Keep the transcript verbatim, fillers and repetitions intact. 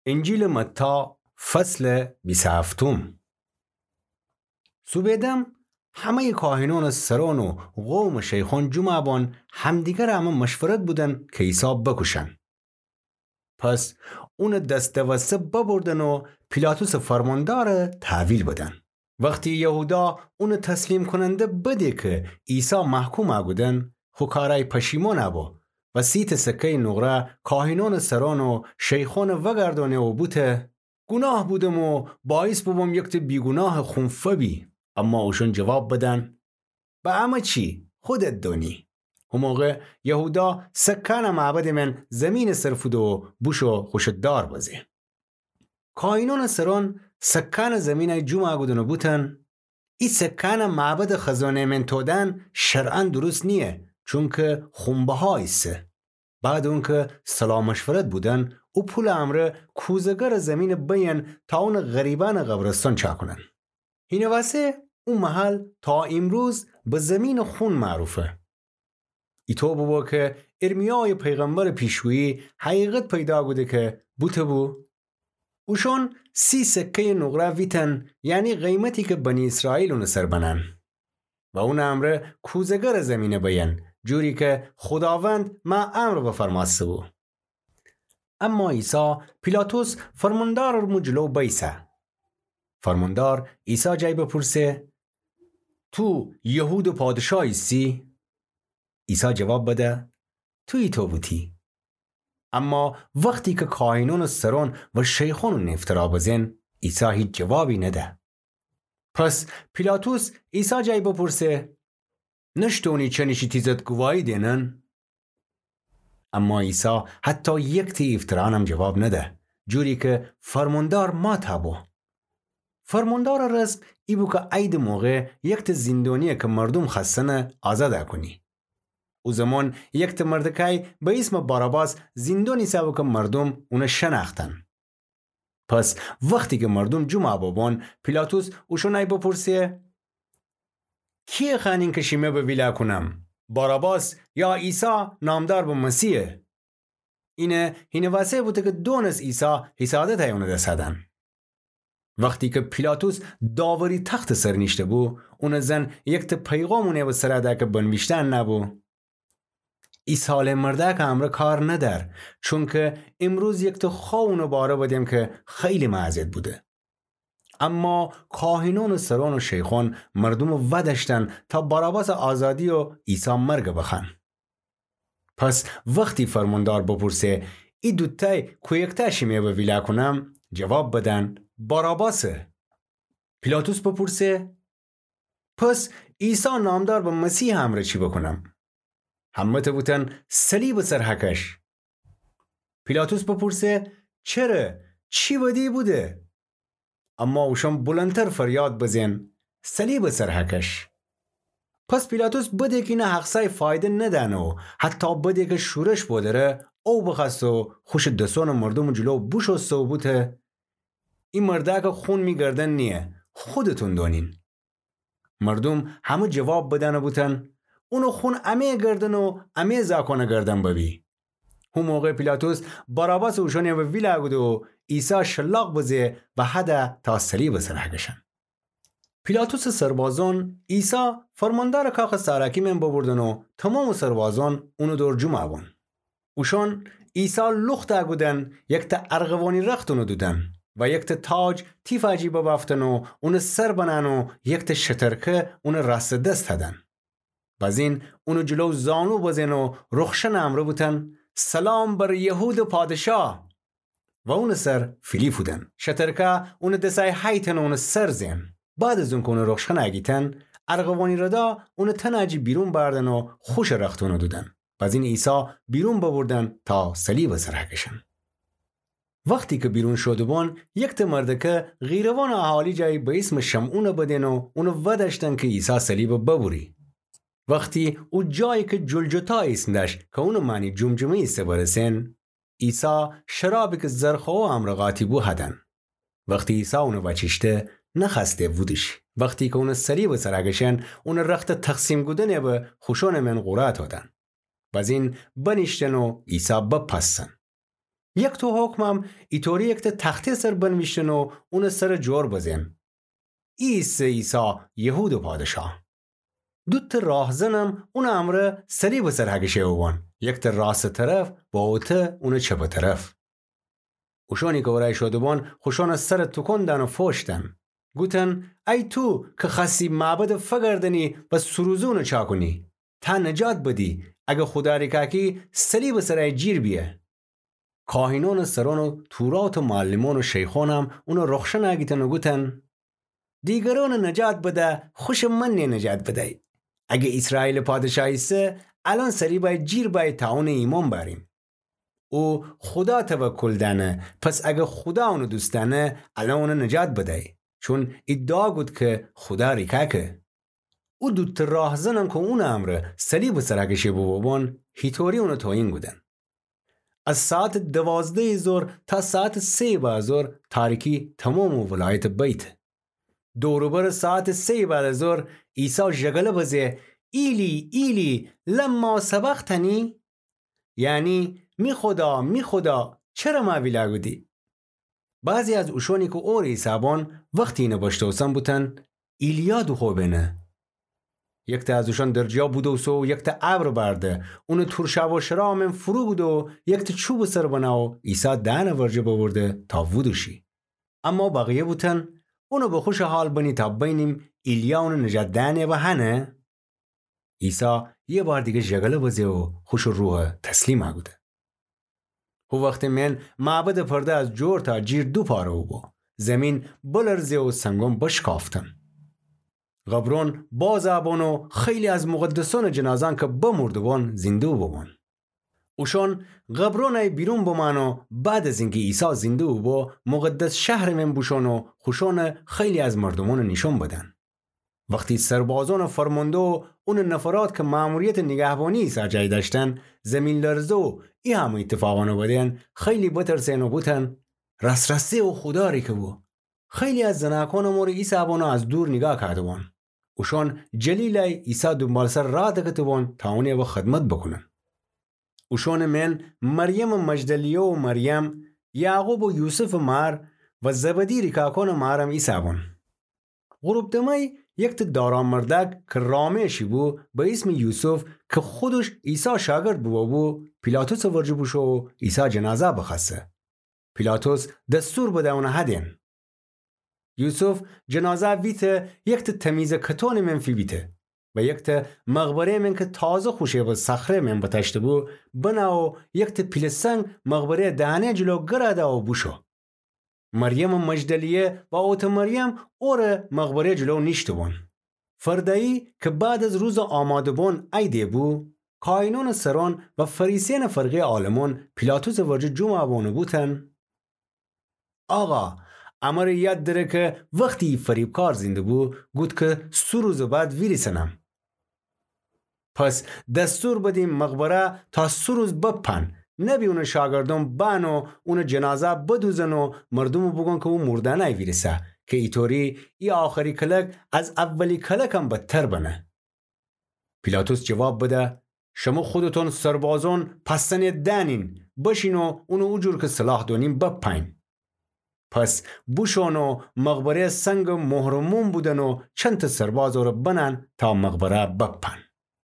انجیلٚ متی، فصلٚ بیست و هفتم. سوبه‌دم همه‌یٚ کاهنأنٚ سرأن و قومٚ شیخأن جمعَ بأن، همدیگرٚ امه مشورت بودن کی عیسی بوکوشن. پس اونٚ دس دوسته ببردن و پیلاطسٚ فرماندارَ تحویل بدن. وختی یهودا اونٚ تسلیم‌کوننده بده کی عیسی محکومَ کودن، خو کارأی پشیمانَ بو و سی ته سکه‌یٚ نقره کاهنأنٚ سرأن و شیخأنَ وگردأنه و بوته: گوناه بودم و بأعث بوبوم یک ته بیگوناهٚ خون فبی. اما اوشأن جواب بدن: به امه چی؟ خودت دونی. هوموقع یهودا سکه‌أنَ معبدٚ مئن زیمینٚ سر فوده و بوشو خوشٚ دار بزه. کاهنأنٚ سرأن سکه‌أنَ زیمینَ جمعَ کودن و بوتن: ای سکه‌أنَ معبدٚ خزانه‌یٚ مئن تودن شرعاً درست نییه، چونکی خون‌بها ایسه. بعدٚ اونکی صلاح مشورت بودن، او پولٚ امرأ کوزه‌گرٚ زیمینَ بیین تا اونَ غریبأنٚ قبرستان چاکونن. هینٚ وسه او محل تا ایمروز به زیمینٚ خون معروفه. ایطو بوبو کی ارمیایٚ پیغمبرٚ پیشگویی حقیقت پیدا کوده کی بوته بو: اوشأن سی سکه‌یٚ نقره ویتن، یعنی قیمتی کی بنی اسرائیل اونٚ سر بنن و اونٚ امرأ کوزه‌گرٚ زیمینَ بیین، جوری کی خوداوند مأ امر بفرمأسته بو. اما عیسی پیلاطس فرماندارٚ مو جلو بیسه. فرماندار عیسی جای بپرسه: تو یهودٚ پادشاه ایسی؟ عیسی جواب بده: تو ایطو بوتی. اما وختی کی کاهنأنٚ سرأن و شیخأن اونَ افترا بزن، عیسی هیچ جوابی نده. پس پیلاطس عیسی جای بپرسه: نشتونی چنشی تیزت گواهی دئنن؟ اما عیسی حتی یک ته افترانم جواب نده، جوری کی فرماندار مأ تأ بو. فرماندارٚ رسم ای بو کی عیدٚ موقع یک ته زیندونی کی مردوم خستنه آزاد کونی. او زمان یک ته مردکای به ایسمٚ باراباس زیندونی ایسه بو کی مردوم اونَ شنأختن. پس وختی کی مردوم جمعَ ببون، پیلاطس اوشأنأی بپرسه: کیَ خوأنین کی شیمه به ویلا کونم؟ باراباس یا عیسی نامدار به مسیحَ؟ اینه هینٚ وسه بوته کی دونس عیسی حسادتأی اونٚ دس دن. وختی کی پیلاطس داوری تختٚ سر نیشته بو، اونٚ زن یک ته پیغام اونٚ به سر ده کی بنویشته نأبو: ای صالح مردأکٚ امرأ کار ندأر، چونکی ایمروز یک ته خوأ اونٚ باره بدم کی خیلی مأ اذیت بوده. اما کاهنأنٚ سرأن و شیخأن مردومَ ودأشتن تا باراباسٚ آزادی و عیسی مرگَ بخوأن. پس وختی فرماندار بپرسه: ای دوتأی کویکتأ شیمه به ویلا کونم؟ جواب بدن: باراباسَ. پیلاطس بپرسه: پس عیسی نامدار به مسیحٚ امرأ چی بکونم؟ همه ته بوتن: صلیبٚ سر هکش. پیلاطس بپرسه: چره؟ چی بدی بوده؟ اما اوشأن بلندتر فریاد بزن: صلیبٚ سر هکش. پس پیلاطس بده کی اینه هقصأی فایده ندأنه و حتی بده کی شورش بودره، او بخوأسته و خوشٚ دسأنٚ مردومٚ جلو بوشوسته و بوته: ای مردأکٚ خون می گردن نییه، خودتون دونین. مردوم همه جواب بدأنه بوتن: اونٚ خون امه‌یٚ گردن و امه‌یٚ زاکانٚ گردن ببی. هو موقع پیلاطس باراباسٚ اوشأنٚ به ویلا کوده و عیسی شلاق بزه و هده تا صلیبٚ سر هکشن. پیلاطسٚ سربازأن عیسی فرماندارٚ کاخٚ ساراکی مئن ببردن و تومامٚ سربازأن اونٚ دور جمعَ بون. اوشأن عیسی لوخت کودن، یکتأ ارغوانی رخت اونٚ دودن و یکتأ تاج تیفٚ جی ببأفتن و اونٚ سر بنأن و یکتأ شترکه اونٚ راستٚ دس هدن. بزین اونٚ جلو زانو بزئن و رخشنٚ امرأ بوتن: سلام بر یهودٚ پادشاه! و اونٚ سر فیلی فودن. شترکه اونٚ دسأی هیتن و اونٚ سر زئن. بعد از اونکه اونٚ رخشنٚ گیتن، ارغوانی ردا اونٚ تنٚ جی بیرون بأردن و خوشٚ رخت اونٚ دودن. بزین عیسی بیرون ببردن تا صلیبٚ سر هکشن. وختی کی بیرون شوده‌بون، یکتأ مردکه قیروانٚ اهالی جایی به ایسمٚ شمعونٚ بدئن و اونٚ ودأشتن کی عیسی صلیبٚ ببری. وختی او جایی کی جلجتا ایسم دأشت کی اونٚ مأنی جمجمه ایسه برسئن، عیسی شرابی کی زرخوه امرأ قاطی بو هدن. وختی عیسی اونٚ وأچیشته، نخوأسته وودیش. وختی کی اونٚ صلیبٚ سر هکشن، اونٚ رختٚ تقسیم کودنٚ به خوشأنٚ مئن قورعه تودن. بزین بنیشتن و عیسی بپسن. یکتأ حکمم ایطوری یکتأ تخته سر بنویشتن و اونٚ سرٚ جور بزئن: ایسه عیسی، یهودٚ پادشاه. دوتأ راهزنم اونٚ امرأ صلیبٚ سر هکشه بوبون، یکتأ راستٚ طرف و اوتأ اونٚ چپٚ طرف. اوشأنی کی اورأیی شده بون، خوشأنٚ سرَ توکون دأن و فوش دأن. گوتن: ای تو کی خوأستی معبدَ فگردنی و سه روزه اونَ چاکونی، تا نجات بدی، اگر خودا ریکاکی صلیبٚ سر جیر بیه. کاهینأنٚ سرأن و توراتٚ معلمأن و شیخأنم اونَ رخشن هگیتن و گوتن: دیگرأنَ نجات بده، خوشٚ من نیه نجات بدی. اگر ایسرائیلٚ پادشاه ایسه، الأن صلیبَ جیر بأیی تا اونَ ایمأن بأریم. او خودا توکل دأنه، پس اگر خودا اونَ دوست دأنه، الأن اونَ نجات بدی، چون ایدعا کود کی خودا ریکاکه. او دوتأ راهزنم کی اونٚ امرأ صلیبٚ سر هکشه بوبون، هیطوری اونَ توهین کودن. از ساعتٚ دوازدهیٚ ظهر تا ساعتٚ سهیٚ بعدٚ ظهر تاریکی تومامٚ ولایتَ بیته. دور و برٚ ساعتٚ سهیٚ بعدٚ ظهر عیسی ژگله بزه: ایلی، ایلی، لما سبقتنی؟ یعنی: می خودا، می خودا، چره مَه ویلا کودی؟ بعضی از اوشأنی کی اورٚ ایسه‌بون وختی اینَ بشتوسن بوتن: ایلیا دوخوبنه. یکتأ از اوشأن درجیا بودوسه و یکتأ ابر بأرده، اونَ تورشاب و شرا مئن فرو کوده و یکتأ چوبٚ سر بنه و عیسی دهنٚ ورجه ببرده تا وودوشی. اما بقیه بوتن: اونَ به خوشٚ حال بنی تا بینیم ایلیا اونٚ نجات دهنٚ وأ هنه؟ عیسی یه بار دیگه ژگله بزه و خوشٚ روحَ تسلیمَ کوده. هو وختٚ مئن معبدٚ پرده از جور تا جیر دو پاره بوبو. زیمین بلرزه و سنگأن بشکافتن. قبرأن بازَ بون و خیلی از مقدسأنٚ جنازه‌یأن کی بمرده‌بون زینده‌بوبون. اوشأن قبرأنَ بیرون بمأن و بعد از اینکی عیسی زینده‌بوبو، مقدس شهرٚ مئن بوشون و خوشأنَ خیلی از مردومأنَ نیشأن بدن. وختی سربازأنٚ فرمانده و اونٚ نفرات کی مأموریتٚ نیگهبانی‌یٚ عیسی جای دأشتن، زیمین‌لرزه و ای همه ایتفاقأنَ بدن، خیلی بترسئن و بوتن: راس‌راسی او خودا ریکه بو. خیلی از زناکأنٚ مور ایسه‌بون و از دور نیگاه کوده‌بون. اوشأن جلیلَ عیسی دونبالسر راه دکته‌بون تا اونٚ وأ خدمت بوکونن. اوشأنٚ مئن مریمٚ مجدلیه و مریم، یعقوب و یوسفٚ مار و زبدی ریکاکأنٚ مارم ایسه‌بون. غروب دمأی یکتأ دارا مردأک کی رامه‌شی بو، به ایسمٚ یوسف، کی خودش عیسی شاگرد بوبو، پیلاطسٚ ورجه بوشو و عیسی جنازه بخوأسه. پیلاطس دستور بده اونَ هدن. یوسف جنازه ویته، یکتأ تمیزٚ کتونٚ مئن فیبیته و یکتأ مقبره‌یٚ مئن کی تازه خوشه‌بٚ صخره‌یٚ مئن بتأشته‌بو، بنه و یکتأ پیله سنگ مقبره‌یٚ دهنه جلو گرَ ده و بوشو. مریمٚ مجدلیه و اوتٚ مریم اورٚ مقبره‌یٚ جلو نیشته‌بون. فردأیی کی بعد از روزٚ آماده‌بون عیدٚ بو، کاهینأنٚ سرأن و فریسیأنٚ فرقه‌یٚ عالمأن پیلاطسٚ ورجه جمعَ بون و بوتن: آقا، امره یاد دره کی وختی فریبکار زینده‌بو، گود کی سه روزٚ بعد ویریسنم. پس دستور بدیم مقبره تا سه روز بپن، نبی اونٚ شاگردأن بأن و اونٚ جنازه بدوزن و مردومَ بوگون کی او مردأنه ویریسه، کی ایطوری ای آخری کلک از اولی کلکم بدتر بنه. پیلاطس جواب بده: شمو خودتأن سربازأن پستنٚ دأنین، بشین و اونٚ او جور کی صلاح دونین بپأین. پس بوشون و مقبره‌یٚ سنگٚ مهرٚ موم بودن و چندتأ سرباز اورٚ بنأن تا مقبره بپأن.